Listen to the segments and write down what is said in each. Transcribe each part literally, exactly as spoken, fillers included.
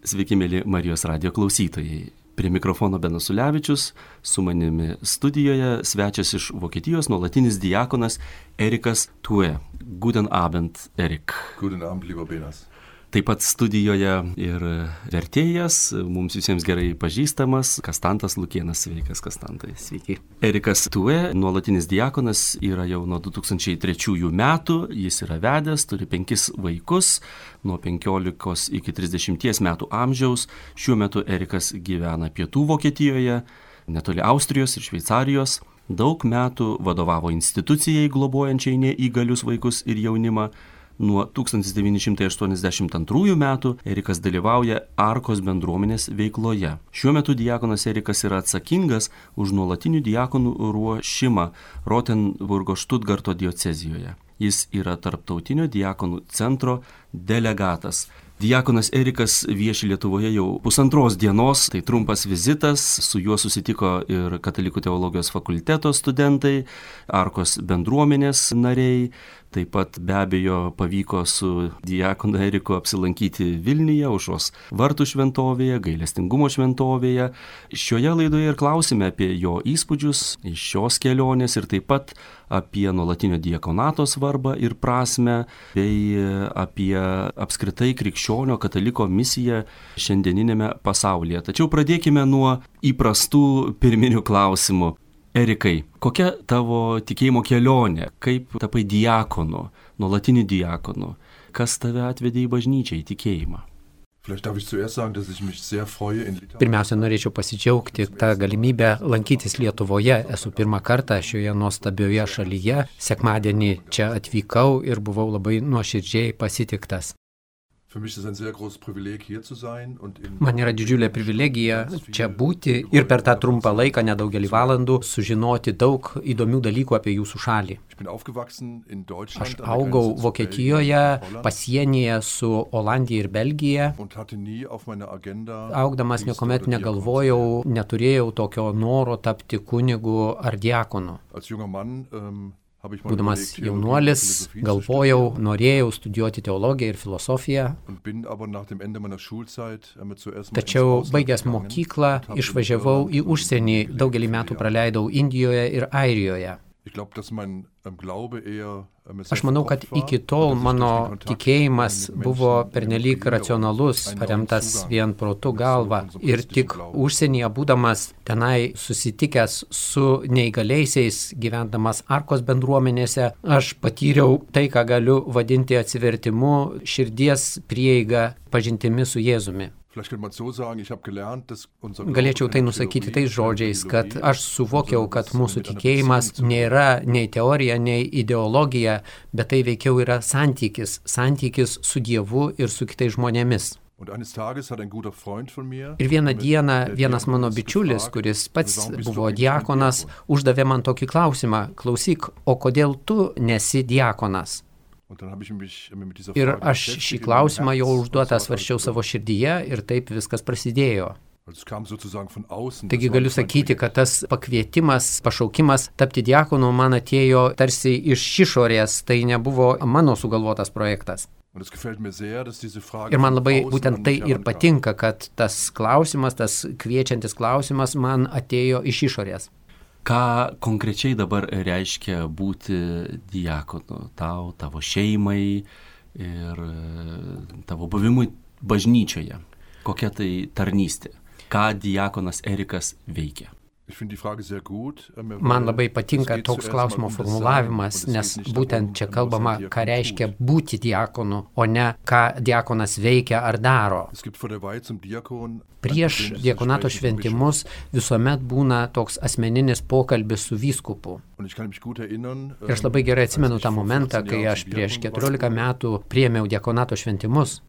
Sveiki, mėly Marijos radijo klausytojai. Prie mikrofono Benas Ulevičius, su manimi studijoje svečias iš Vokietijos nuolatinis diakonas Erikas Tue. Guten Abend, Erik. Guten Abend, lieber Benas. Taip pat studijoje ir vertėjas, mums visiems gerai pažįstamas, Kastantas Lukėnas. Sveikas, Kastantai. Sveiki. Erikas Tue, nuolatinis diakonas, yra jau nuo du tūkstančiai trečiųjų metų, jis yra vedęs, turi penkis vaikus, nuo penkiolikos iki trisdešimties metų amžiaus. Šiuo metu Erikas gyvena pietų Vokietijoje, netoli Austrijos ir Šveicarijos. Daug metų vadovavo institucijai globojančiai neįgalius vaikus ir jaunimą. Nuo tūkstantis devyni šimtai aštuoniasdešimt antrųjų metų Erikas dalyvauja Arkos bendruomenės veikloje. Šiuo metu diakonas Erikas yra atsakingas už nuolatinių diakonų ruošimą Rotenburgo Štutgarto diecezijoje. Jis yra tarptautinio diakonų centro delegatas. Diakonas Erikas vieši Lietuvoje jau pusantros dienos, tai trumpas vizitas, su juo susitiko ir Katalikų teologijos fakulteto studentai, Arkos bendruomenės nariai, taip pat be abejo pavyko su diakonu Eriku apsilankyti Vilniuje, Aušros vartų šventovėje, gailestingumo šventovėje. Šioje laidoje ir klausime apie jo įspūdžius iš šios kelionės ir taip pat apie nuolatinio diakonato svarbą ir prasmę, bei apie apskritai krikščionio kataliko misiją šiandieninėme pasaulyje. Tačiau pradėkime nuo įprastų pirminių klausimų. Erikai, kokia tavo tikėjimo kelionė? Kaip tapai diakonu, nuolatiniu diakonu? Kas tave atvedė į bažnyčią, į tikėjimą? Pirmiausia, norėčiau pasidžiaugti tą galimybę lankytis Lietuvoje. Esu pirmą kartą šioje nuostabioje šalyje. Sekmadienį čia atvykau ir buvau labai nuoširdžiai pasitiktas. Man yra didžiulė privilegija čia būti ir per tą trumpą laiką, nedaugelį valandų, sužinoti daug įdomių dalykų apie jūsų šalį. Aš augau Vokietijoje, pasienyje su Olandija ir Belgija. Augdamas niekuomet negalvojau, neturėjau tokio noro tapti kunigu ar diakonu. Būdamas jaunuolis, galvojau, norėjau studijuoti teologiją ir filosofiją, tačiau baigęs mokyklą išvažiavau į užsienį, daugelį metų praleidau Indijoje ir Airijoje. Aš manau, kad iki tol mano tikėjimas buvo pernelyg racionalus, paremtas vien protu galva. Ir tik užsienyje būdamas tenai susitikęs su neįgaliaisiais, gyvendamas Arkos bendruomenėse, aš patyriau tai, ką galiu vadinti atsivertimu, širdies prieiga, pažintimi su Jėzumi. Galėčiau tai nusakyti tais žodžiais, kad aš suvokiau, kad mūsų tikėjimas nėra nei teorija, nei ideologija, bet tai veikiau yra santykis, santykis su Dievu ir su kitais žmonėmis. Ir vieną dieną vienas mano bičiulis, kuris pats buvo diakonas, uždavė man tokį klausimą: klausyk, o kodėl tu nesi diakonas? Ir aš šį klausimą jau užduotą svarsčiau savo širdyje ir taip viskas prasidėjo. Taigi galiu sakyti, kad tas pakvietimas, pašaukimas tapti diakonu man atėjo tarsi iš išorės, tai nebuvo mano sugalvotas projektas. Ir man labai būtent tai ir patinka, kad tas klausimas, tas kviečiantis klausimas man atėjo iš išorės. Ką konkrečiai dabar reiškia būti diakonu tau, tavo šeimai ir tavo buvimui bažnyčioje? Kokia tai tarnystė? Ką diakonas Erikas veikia? Man labai patinka toks klausimo formulavimas, nes būtent čia kalbama, ką reiškia būti diakonu, o ne ką diakonas veikia ar daro. Prieš diakonato šventimus visuomet būna toks asmeninis pokalbis su vyskupu. Ir aš labai gerai atsimenu tą momentą, kai aš prieš keturiolika metų priėmiau diakonato šventimus.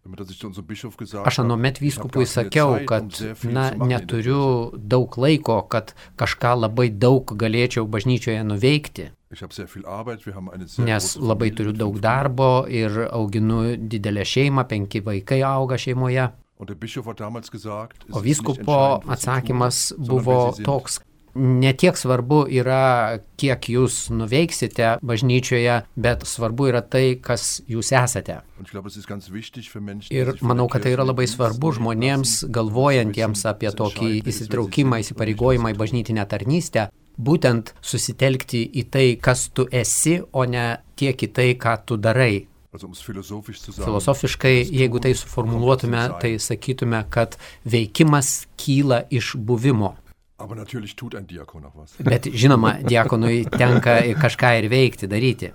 Aš anuomet vyskupui sakiau, kad na, neturiu daug laiko, kad kažką labai daug galėčiau bažnyčioje nuveikti. Nes labai turiu daug darbo ir auginu didelę šeimą, penki vaikai auga šeimoje. O vyskupo atsakymas buvo toks: Netiek svarbu yra, kiek jūs nuveiksite bažnyčioje, bet svarbu yra tai, kas jūs esate. Ir manau, kad tai yra labai svarbu žmonėms, galvojantiems apie tokį įsitraukimą, įsipareigojimą į bažnytinę tarnystę, būtent susitelkti į tai, kas tu esi, o ne tiek į tai, ką tu darai. Filosofiškai, jeigu tai suformuluotume, tai sakytume, kad veikimas kyla iš buvimo. Bet žinoma, diakonui tenka kažką ir veikti, daryti.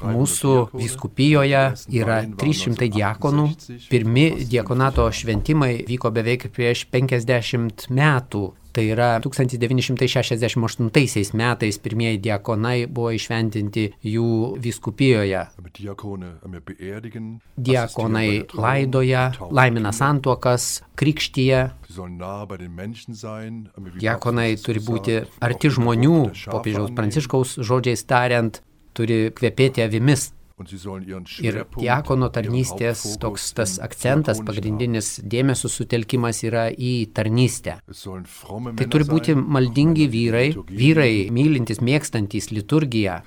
Mūsų vyskupijoje yra trys šimtai diakonų. Pirmi diakonato šventimai vyko beveik prieš penkiasdešimt metų. Tai yra tūkstantis devyni šimtai šešiasdešimt aštuntaisiais metais pirmieji diakonai buvo įšventinti jų vyskupijoje. Diakonai laidoja, laimina santuokas, krikštyje. Diakonai turi būti arti žmonių, popiežiaus Pranciškaus žodžiais tariant, turi kvepėti avimis. Ir diakono tarnystės toks tas akcentas, pagrindinis dėmesio sutelkimas yra į tarnystę. Tai turi būti maldingi vyrai, vyrai mylintys, mėgstantys liturgiją.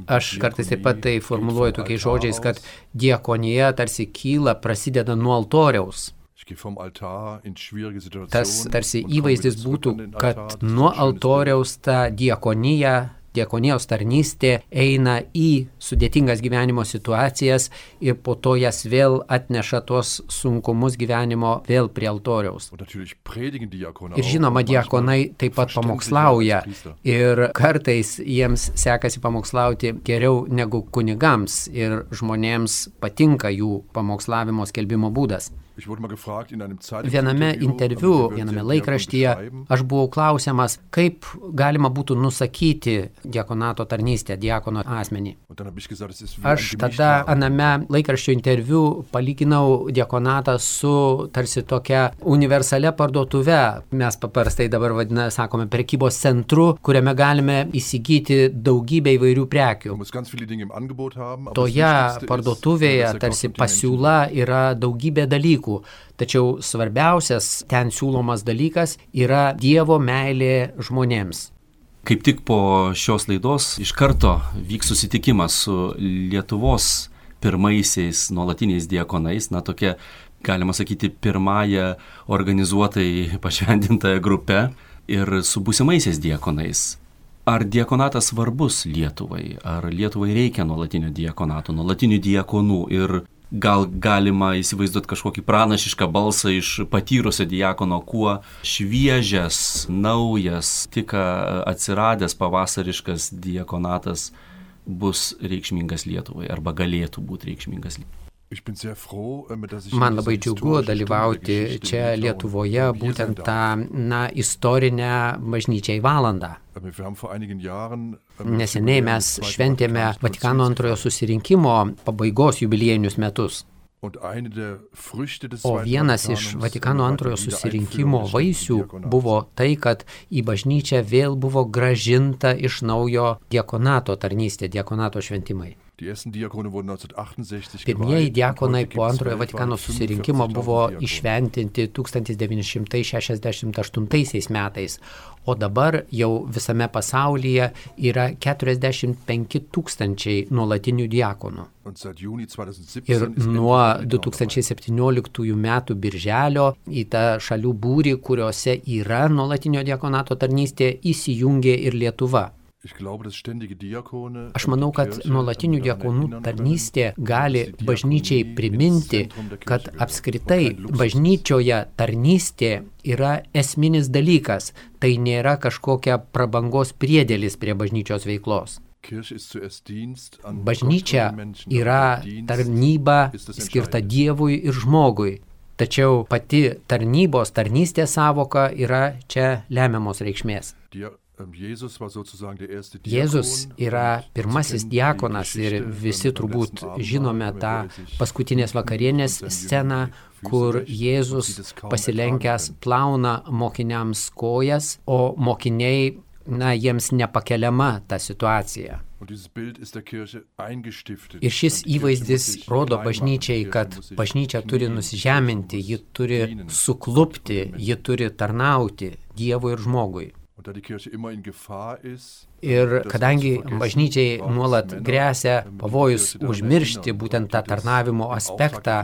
Aš kartais taip pat tai formuluoju tokiais žodžiais, kad diakonija tarsi kyla, prasideda nuo altoriaus. Tas tarsi įvaizdis būtų, kad nuo altoriaus ta diakonija, diakonijos tarnystė eina į sudėtingas gyvenimo situacijas ir po to jas vėl atneša tuos sunkumus gyvenimo vėl prie altoriaus. Ir žinoma, diakonai taip pat pamokslauja ir kartais jiems sekasi pamokslauti geriau negu kunigams ir žmonėms patinka jų pamokslavimo skelbimo būdas. Viename interviu, viename laikraštyje aš buvau klausiamas, kaip galima būtų nusakyti diakonato tarnystę, diakono asmenį. Aš tada aname laikraščio interviu palyginau diakonatą su tarsi tokia universalia parduotuve. Mes paprastai dabar vadina, sakome, prekybos centru, kuriame galime įsigyti daugybę įvairių prekių. Toje parduotuvėje tarsi pasiūla yra daugybė dalykų. Tačiau svarbiausias ten siūlomas dalykas yra Dievo meilė žmonėms. Kaip tik po šios laidos iš karto vyks susitikimas su Lietuvos pirmaisiais nuolatiniais diakonais, na tokia, galima sakyti, pirmąją organizuotai pašventintąją grupę ir su būsimaisiais diakonais. Ar diakonatas svarbus Lietuvai? Ar Lietuvai reikia nuolatinio diakonato, nuolatinių diakonų ir gal galima įsivaizduoti kažkokį pranašišką balsą iš patyrusio diakono, kuo šviežias, naujas, tik atsiradęs pavasariškas diakonatas bus reikšmingas Lietuvai arba galėtų būti reikšmingas Lietuvai. Man labai džiugu dalyvauti čia Lietuvoje būtent tą na, istorinę bažnyčiai valandą. Neseniai mes šventėme Vatikano antrojo susirinkimo pabaigos jubiliejinius metus. O vienas iš Vatikano antrojo susirinkimo vaisių buvo tai, kad į bažnyčią vėl buvo grąžinta iš naujo diakonato tarnystė, diakonato šventimai. Pirmieji diakonai po antrojo Vatikano susirinkimo buvo įšventinti tūkstantis devyni šimtai šešiasdešimt aštuntaisiais metais, o dabar jau visame pasaulyje yra keturiasdešimt penki tūkstančiai nuolatinių diakonų. Ir nuo du tūkstančiai septynioliktųjų metų birželio į tą šalių būrį, kuriuose yra nuolatinio diakonato tarnystė, įsijungė ir Lietuva. Aš manau, kad nuolatinių diakonų tarnystė gali bažnyčiai priminti, kad apskritai bažnyčioje tarnystė yra esminis dalykas, tai nėra kažkokia prabangos priedėlis prie bažnyčios veiklos. Bažnyčia yra tarnyba skirta Dievui ir žmogui, tačiau pati tarnybos, tarnystės sąvoka yra čia lemiamos reikšmės. Jėzus yra pirmasis diakonas ir visi turbūt žinome tą paskutinės vakarienės sceną, kur Jėzus pasilenkęs plauna mokiniams kojas, o mokiniai na, jiems nepakeliama ta situacija. Ir šis įvaizdis rodo bažnyčiai, kad bažnyčia turi nusižeminti, ji turi suklupti, ji turi tarnauti Dievui ir žmogui. Ir kadangi bažnyčiai nuolat gresia pavojus užmiršti būtent tą tarnavimo aspektą,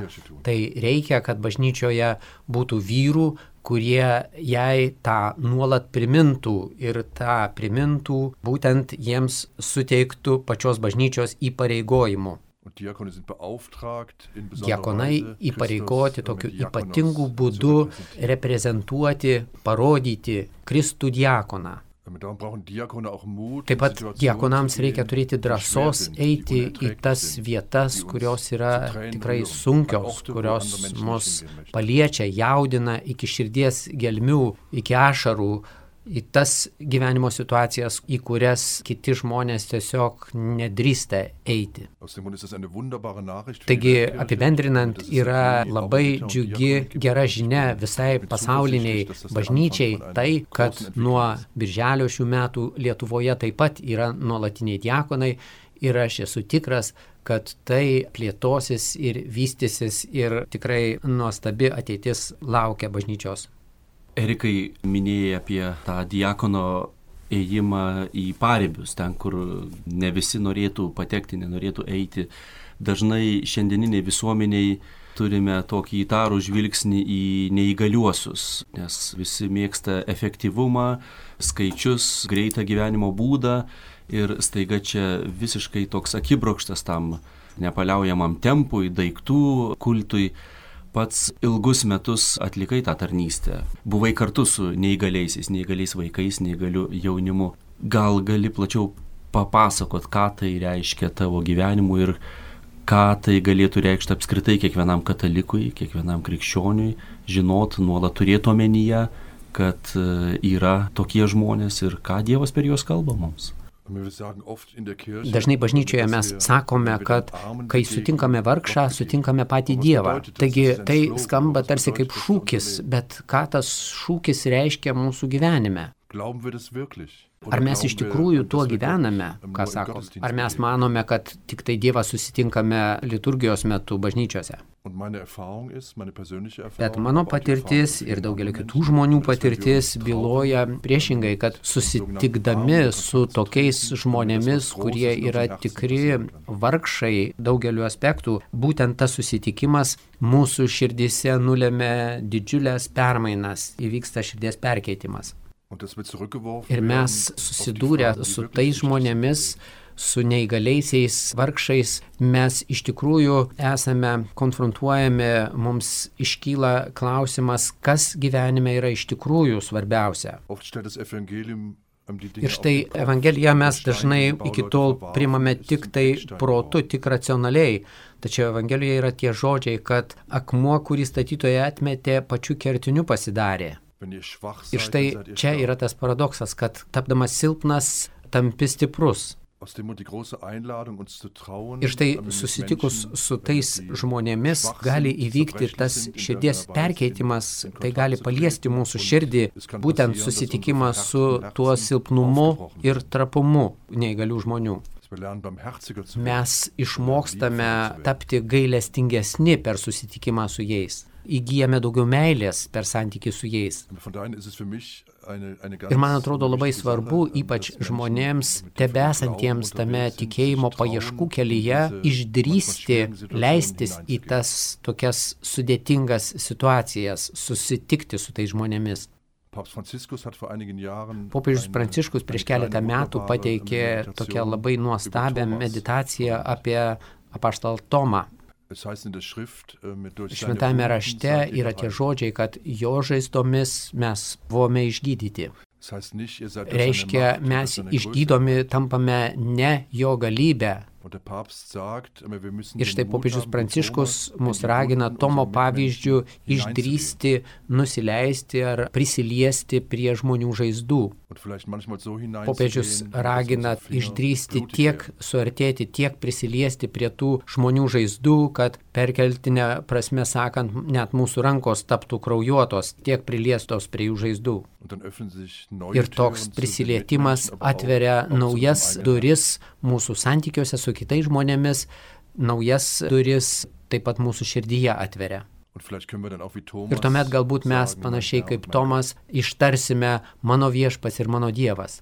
tai reikia, kad bažnyčioje būtų vyrų, kurie jai tą nuolat primintų ir tą primintų būtent jiems suteiktų pačios bažnyčios įpareigojimų. Diakonai įpareigoti tokiu ypatingu būdu reprezentuoti, parodyti Kristų diakoną. Taip pat diakonams reikia turėti drąsos eiti į tas vietas, kurios yra tikrai sunkios, kurios mus paliečia, jaudina iki širdies gelmių, iki ašarų, į tas gyvenimo situacijas, į kurias kiti žmonės tiesiog nedrįsta eiti. Taigi, apibendrinant, yra labai džiugi, gera žinia visai pasauliniai bažnyčiai tai, kad nuo birželio šių metų Lietuvoje taip pat yra nuolatiniai diakonai ir aš esu tikras, kad tai plėtosis ir vystysis ir tikrai nuostabi ateitis laukia bažnyčios. Erikai, minėjai apie tą diakono ėjimą į paribius, ten, kur ne visi norėtų patekti, nenorėtų eiti. Dažnai šiandieniniai visuomeniai turime tokį įtarų žvilgsnį į neįgaliuosius, nes visi mėgsta efektyvumą, skaičius, greitą gyvenimo būdą ir staiga čia visiškai toks akibrokštas tam nepaliaujamam tempui, daiktų kultui. Pats ilgus metus atlikai tą tarnystę. Buvai kartu su neįgaliaisiais, neįgaliais vaikais, neįgaliu jaunimu. Gal gali plačiau papasakot, ką tai reiškia tavo gyvenimui ir ką tai galėtų reikšti apskritai kiekvienam katalikui, kiekvienam krikščioniui, žinot, nuolat turėti omenyje, kad yra tokie žmonės ir ką Dievas per juos kalba mums. Dažnai bažnyčioje mes sakome, kad kai sutinkame vargšą, sutinkame patį Dievą. Taigi tai skamba tarsi kaip šūkis, bet ką tas šūkis reiškia mūsų gyvenime? Ar mes iš tikrųjų tuo gyvename, ką sako? Ar mes manome, kad tik tai Dievą susitinkame liturgijos metu bažnyčiose? Bet mano patirtis ir daugelio kitų žmonių patirtis byloja priešingai, kad susitikdami su tokiais žmonėmis, kurie yra tikri vargšai daugeliu aspektų, būtent tas susitikimas mūsų širdyse nulemia didžiulės permainas, įvyksta širdies perkeitimas. Ir mes susidūrę su tais žmonėmis, su neįgaliaisiais vargšais, mes iš tikrųjų esame konfrontuojami, mums iškyla klausimas, kas gyvenime yra iš tikrųjų svarbiausia. Ir štai Evangeliją mes dažnai iki tol priimame tik tai protu, tik racionaliai. Tačiau Evangelijoje yra tie žodžiai, kad akmuo, kurį statytoja atmetė, pačiu kertiniu pasidarė. Ir štai čia yra tas paradoksas, kad tapdamas silpnas, tampi stiprus. Ir štai susitikus su tais žmonėmis gali įvykti tas širdies perkeitimas, tai gali paliesti mūsų širdį, būtent susitikimas su tuo silpnumu ir trapumu neįgalių žmonių. Mes išmokstame tapti gailestingesni per susitikimą su jais. Įgyjame daugiau meilės per santykį su jais. Ir man atrodo labai svarbu, ypač žmonėms, tebesantiems tame tikėjimo paieškų kelyje, išdrįsti leistis į tas tokias sudėtingas situacijas, susitikti su tais žmonėmis. Popiežius Pranciškus prieš keletą metų pateikė tokią labai nuostabią meditaciją apie apaštalą Tomą. Šventajame rašte yra tie žodžiai, kad jo žaizdomis mes buvome išgydyti. Reiškia, mes išgydomi tampame ne jo galybę, Ir štai popiežius Pranciškus mus ragina Tomo pavyzdžių išdrįsti, nusileisti ar prisiliesti prie žmonių žaizdų. Popiežius ragina išdrįsti tiek suartėti, tiek prisiliesti prie tų žmonių žaizdų, kad perkeltinė prasme sakant, net mūsų rankos taptų kraujuotos, tiek priliestos prie jų žaizdų. Ir toks prisilietimas atveria naujas duris mūsų santykiuose su kitais žmonėmis, naujas duris taip pat mūsų širdyje atveria. Ir tuomet galbūt mes, panašiai kaip Tomas, ištarsime mano viešpats ir mano Dievas.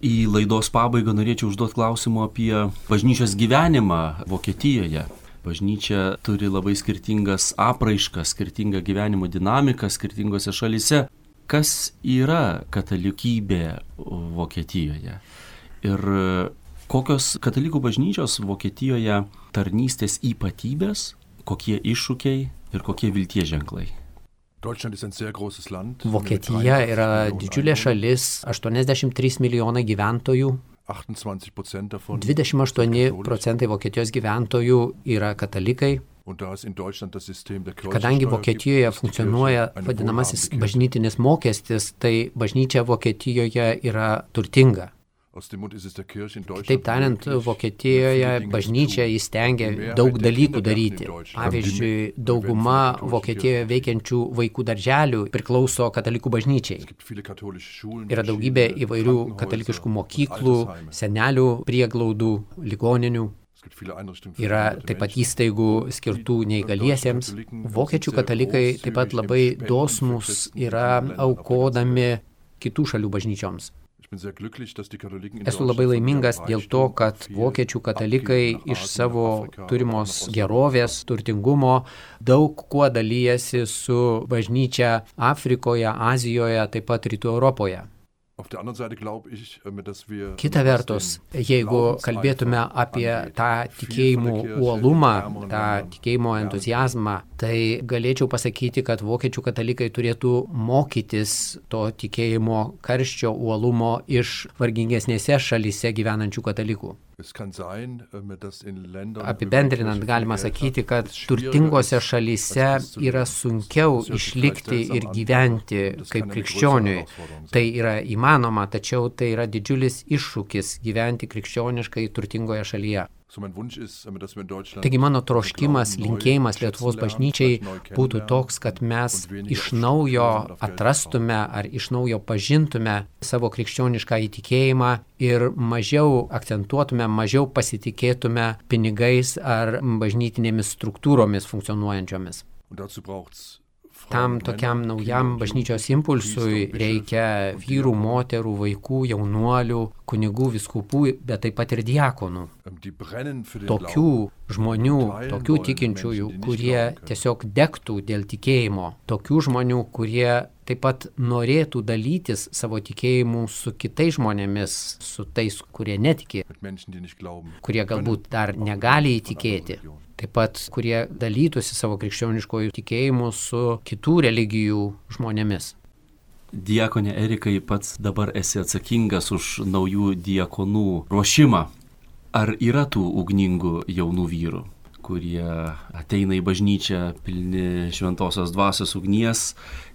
Į laidos pabaigą norėčiau užduoti klausimą apie bažnyčios gyvenimą Vokietijoje. Bažnyčia turi labai skirtingas apraiškas, skirtingą gyvenimo dinamiką skirtingose šalyse. Kas yra katalikybė Vokietijoje? Ir kokios katalikų bažnyčios Vokietijoje tarnystės ypatybės, kokie iššūkiai ir kokie vilties ženklai? Vokietija yra didžiulė šalis, aštuoniasdešimt trys milijonai gyventojų. dvidešimt aštuoni procentai Vokietijos gyventojų yra katalikai. Kadangi Vokietijoje funkcionuoja vadinamasis bažnytinis mokestis, tai bažnyčia Vokietijoje yra turtinga. Taip tariant, Vokietijoje bažnyčia įstengia daug dalykų daryti. Pavyzdžiui, dauguma Vokietijoje veikiančių vaikų darželių priklauso katalikų bažnyčiai. Yra daugybė įvairių katalikiškų mokyklų, senelių prieglaudų, ligoninių. Yra taip pat įstaigų skirtų neįgaliesiems. Vokiečių katalikai taip pat labai dosnūs yra aukodami kitų šalių bažnyčioms. Esu labai laimingas dėl to, kad vokiečių katalikai iš savo turimos gerovės, turtingumo daug kuo dalyjasi su bažnyčia Afrikoje, Azijoje, taip pat Rytų Europoje. Kita vertus, jeigu kalbėtume apie tą tikėjimo uolumą, tą tikėjimo entuziazmą, tai galėčiau pasakyti, kad vokiečių katalikai turėtų mokytis to tikėjimo karščio uolumo iš vargingesnėse šalyse gyvenančių katalikų. Apibendrinant, galima sakyti, kad turtingose šalyse yra sunkiau išlikti ir gyventi kaip krikščioniui. Tai yra įmanoma, tačiau tai yra didžiulis iššūkis gyventi krikščioniškai turtingoje šalyje. Taigi mano troškimas, linkėjimas Lietuvos bažnyčiai būtų toks, kad mes iš naujo atrastume ar iš naujo pažintume savo krikščionišką įtikėjimą ir mažiau akcentuotume, mažiau pasitikėtume pinigais ar bažnytinėmis struktūromis funkcionuojančiomis. Tam tokiam naujam bažnyčios impulsui reikia vyrų, moterų, vaikų, jaunuolių, kunigų, vyskupų, bet taip pat ir diakonų. Tokių žmonių, tokių tikinčiųjų, kurie tiesiog degtų dėl tikėjimo. Tokių žmonių, kurie taip pat norėtų dalytis savo tikėjimu su kitais žmonėmis, su tais, kurie netiki, kurie galbūt dar negali įtikėti. Taip pat, kurie dalytųsi savo krikščioniškojų tikėjimu su kitų religijų žmonėmis. Diakonė Erikai, pats dabar esi atsakingas už naujų diakonų ruošimą. Ar yra tų ugningų jaunų vyrų, kurie ateina į bažnyčią pilni šventosios dvasios ugnies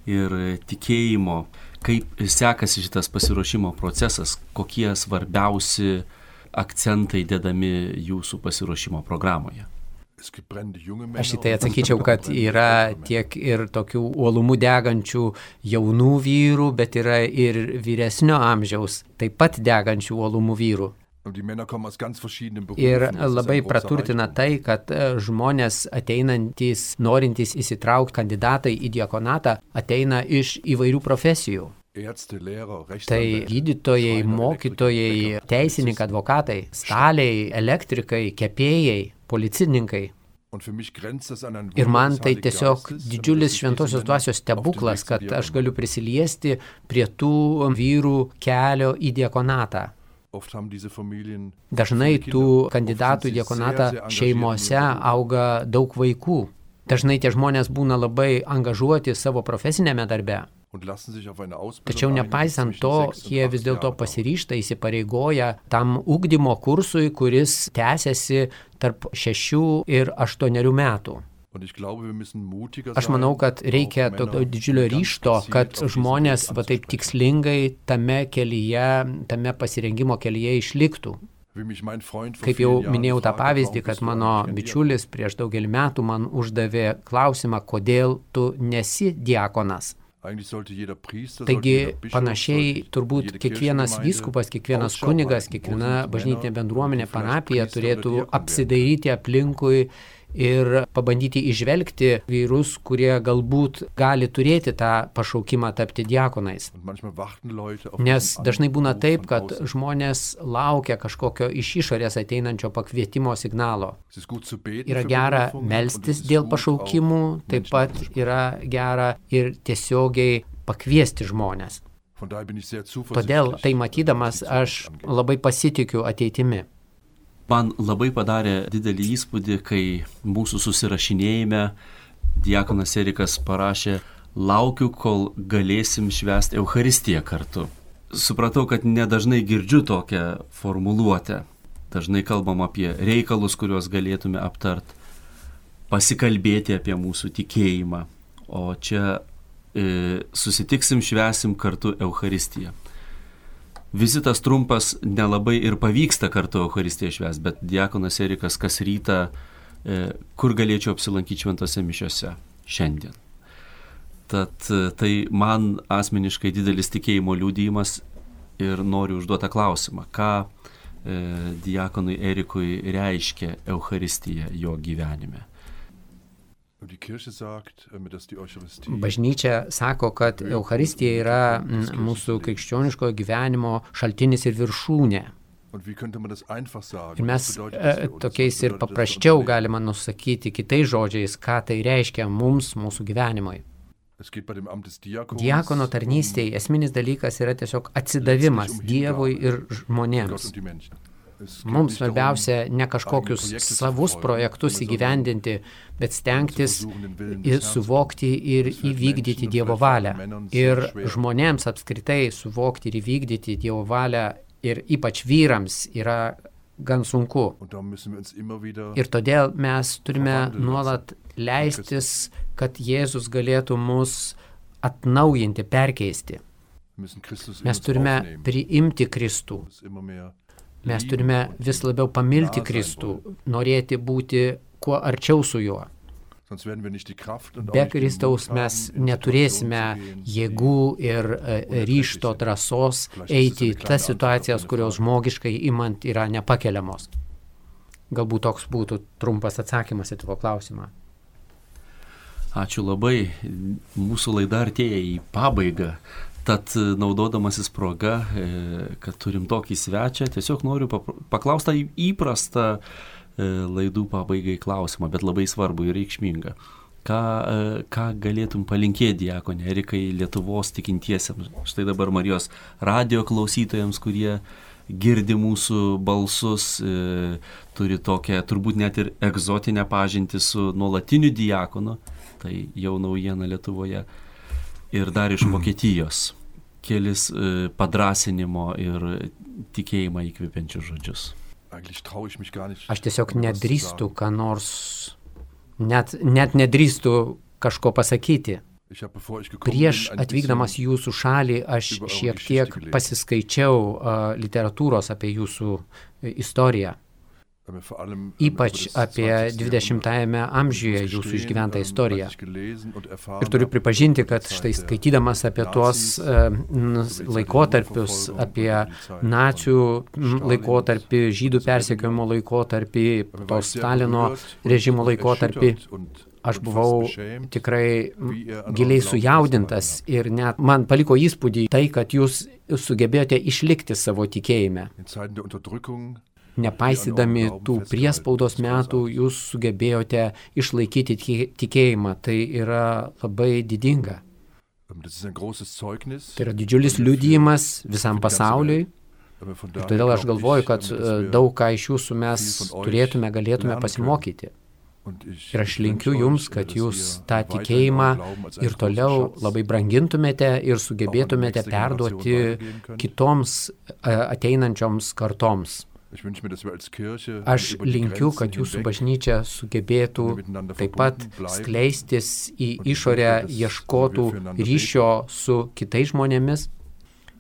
ir tikėjimo? Kaip sekasi šitas pasiruošimo procesas? Kokie svarbiausi akcentai dedami jūsų pasiruošimo programoje? Aš į tai atsakyčiau, kad yra tiek ir tokių uolumų degančių jaunų vyrų, bet yra ir vyresnio amžiaus, taip pat degančių uolumų vyrų. Ir labai praturtina tai, kad žmonės ateinantys, norintys įsitraukti kandidatai į diakonatą, ateina iš įvairių profesijų. Tai gydytojai, mokytojai, teisininkai, advokatai, staliai, elektrikai, kepėjai, policininkai. Ir man tai tiesiog didžiulis šventosios dvasios stebuklas, kad aš galiu prisiliesti prie tų vyrų kelio į diakonatą. Dažnai tų kandidatų į diakonatą šeimose auga daug vaikų. Dažnai tie žmonės būna labai angažuoti savo profesinėme darbe. Tačiau nepaisant to, jie vis dėlto pasiryžta, įsipareigoja tam ugdymo kursui, kuris tęsiasi tarp šešių ir aštuonerių metų. Aš manau, kad reikia tokio didžiulio ryžto, kad žmonės va taip tikslingai tame kelyje, tame pasirengimo kelyje išliktų. Kaip jau minėjau tą pavyzdį, kad mano bičiulis prieš daugelį metų man uždavė klausimą, kodėl tu nesi diakonas. Taigi panašiai turbūt kiekvienas vyskupas, kiekvienas kunigas, kiekviena bažnytinė bendruomenė, parapija turėtų apsidairyti aplinkui ir pabandyti įžvelgti vyrus, kurie galbūt gali turėti tą pašaukimą tapti diakonais. Nes dažnai būna taip, kad žmonės laukia kažkokio iš išorės ateinančio pakvietimo signalo. Yra gera melstis dėl pašaukimų, taip pat yra gera ir tiesiogiai pakviesti žmonės. Todėl tai matydamas aš labai pasitikiu ateitimi. Man labai padarė didelį įspūdį, kai mūsų susirašinėjime diakonas Erikas parašė: laukiu, kol galėsim švęsti Eucharistiją kartu. Supratau, kad nedažnai girdžiu tokią formuluotę. Dažnai kalbam apie reikalus, kuriuos galėtume aptart, pasikalbėti apie mūsų tikėjimą. O čia e, susitiksim, švęsim kartu Eucharistiją. Vizitas trumpas, nelabai ir pavyksta kartu Eucharistiją švęsti, bet diakonas Erikas kas rytą, e, kur galėčiau apsilankyti šventose mišiose šiandien. Tad tai man asmeniškai didelis tikėjimo liudijimas ir noriu užduotą klausimą, ką e, diakonui Erikui reiškia Eucharistija jo gyvenime. Bažnyčia sako, kad Eucharistija yra mūsų krikščioniško gyvenimo šaltinis ir viršūnė. Ir mes e, tokiais ir paprasčiau galima nusakyti kitais žodžiais, ką tai reiškia mums, mūsų gyvenimui. Diakono tarnystėje esminis dalykas yra tiesiog atsidavimas Dievui ir žmonėms. Mums svarbiausia ne kažkokius savus projektus įgyvendinti, bet stengtis ir suvokti ir įvykdyti Dievo valią. Ir žmonėms apskritai suvokti ir įvykdyti Dievo valią ir ypač vyrams yra gan sunku. Ir todėl mes turime nuolat leistis, kad Jėzus galėtų mus atnaujinti, perkeisti. Mes turime priimti Kristų. Mes turime vis labiau pamilti Kristų, norėti būti kuo arčiau su juo. Be Kristaus mes neturėsime jėgų ir ryžto, drąsos eiti į tas situacijas, kurios žmogiškai imant yra nepakeliamos. Galbūt toks būtų trumpas atsakymas į tavo klausimą. Ačiū labai. Mūsų laida artėja į pabaigą. Tad naudodamasis proga, kad turim tokį svečią, tiesiog noriu paklausti įprastą laidų pabaigai klausimą, bet labai svarbu ir reikšmingą. Ką, ką galėtum palinkėti diakonė Erikai Lietuvos tikintiesiems? Štai dabar Marijos radijo klausytojams, kurie girdi mūsų balsus, turi tokią turbūt net ir egzotinę pažintį su nuolatiniu diakonu, tai jau naujiena Lietuvoje. Ir dar iš Vokietijos kelis e, padrasinimo ir tikėjimą įkvepiančius žodžius. Aš tiesiog nedrįstu, ką nors, net, net nedrįstu kažko pasakyti. Prieš atvykdamas į jūsų šalį aš šiek tiek pasiskaičiau uh, literatūros apie jūsų istoriją. Ypač apie dvidešimtajame amžiuje jūsų išgyventą istoriją. Ir turiu pripažinti, kad štai skaitydamas apie tuos uh, laikotarpius, apie nacių laikotarpį, žydų persekiojimo laikotarpį, to Stalino režimo laikotarpį, aš buvau tikrai giliai sujaudintas ir net man paliko įspūdį tai, kad jūs sugebėjote išlikti savo tikėjime. Nepaisydami tų priespaudos metų, jūs sugebėjote išlaikyti tikėjimą. Tai yra labai didinga. Tai yra didžiulis liudijimas visam pasauliui. Ir todėl aš galvoju, kad daug ką iš jūsų mes turėtume, galėtume pasimokyti. Ir aš linkiu jums, kad jūs tą tikėjimą ir toliau labai brangintumėte ir sugebėtumėte perduoti kitoms ateinančioms kartoms. Aš linkiu, kad jūsų bažnyčia sugebėtų taip pat skleistis į išorę, ieškotų ryšio su kitais žmonėmis.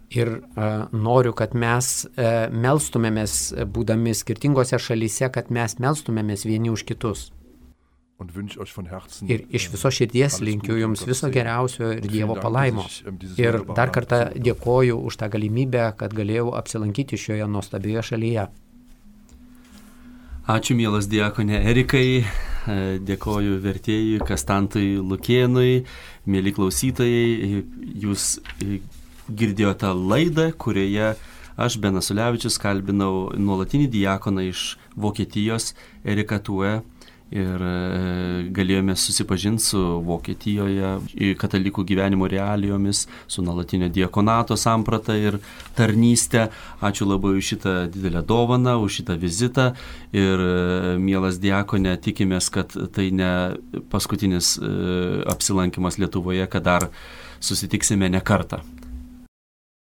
Ir uh, noriu, kad mes uh, melstumėmės, būdami skirtingose šalyse, kad mes melstumėmės vieni už kitus. Ir iš viso širdies linkiu jums viso geriausio ir Dievo palaimo. Ir dar kartą dėkoju už tą galimybę, kad galėjau apsilankyti šioje nuostabioje šalyje. Ačiū, mielas diakone Erikai, dėkoju vertėjui Kastantui Lukėnui, mėly klausytojai, jūs girdėjote laidą, kurioje aš, Benas Ulevičius, kalbinau nuolatinį diakoną iš Vokietijos, Eriką Tue, ir galėjome susipažinti su Vokietijoje katalikų gyvenimo realijomis, su nuolatinio diakonato samprata ir tarnystė. Ačiū labai už šitą didelę dovaną, už šitą vizitą ir, mielas diakone, tikimės, kad tai ne paskutinis apsilankimas Lietuvoje, kad dar susitiksime ne kartą.